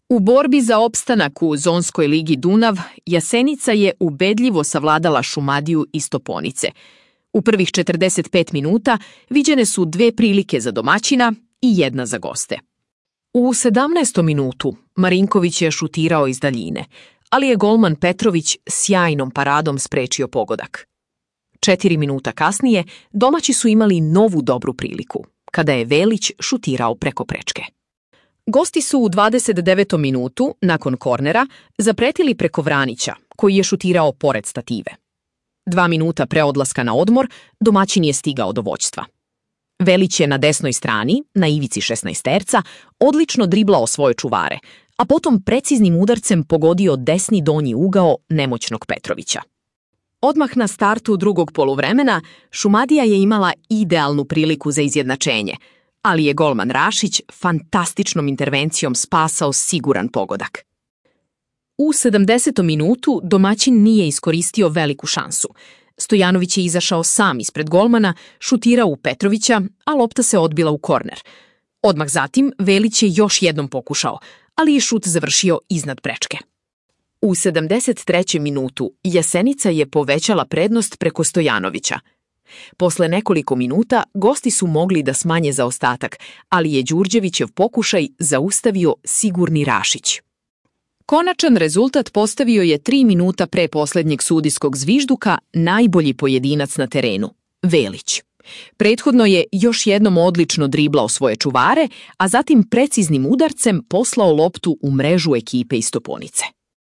U borbi za opstanak u Zonskoj ligi Dunav, Jasenica je ubedljivo savladala Šumadiju iz Stoponice. U prvih 45 minuta viđene su 2 prilike za domaćina i 1 za goste. U 17. minutu Marinković je šutirao iz daljine, ali je golman Petrović sjajnom paradom sprečio pogodak. 4 minuta kasnije domaći su imali novu dobru priliku, kada je Velić šutirao preko prečke. Gosti su u 29. minutu, nakon kornera, zapretili preko Vranića, koji je šutirao pored stative. 2 minuta pre odlaska na odmor, domaćin je stigao do vođstva. Velić je na desnoj strani, na ivici 16-terca, odlično driblao svoje čuvare, a potom preciznim udarcem pogodio desni donji ugao nemoćnog Petrovića. Odmah na startu drugog poluvremena, Šumadija je imala idealnu priliku za izjednačenje, ali je golman Rašić fantastičnom intervencijom spasao siguran pogodak. U 70. minutu domaćin nije iskoristio veliku šansu. Stojanović je izašao sam ispred golmana, šutirao u Petrovića, a lopta se odbila u korner. Odmah zatim Velić je još jednom pokušao, ali je šut završio iznad prečke. U 73. minutu Jasenica je povećala prednost preko Stojanovića. Posle nekoliko minuta gosti su mogli da smanje zaostatak, ali je Đurđevićev pokušaj zaustavio sigurni Rašić. Konačan rezultat postavio je 3 minuta pre poslednjeg sudijskog zvižduka najbolji pojedinac na terenu, Velić. Prethodno je još jednom odlično driblao svoje čuvare, a zatim preciznim udarcem poslao loptu u mrežu ekipe iz Stoponice.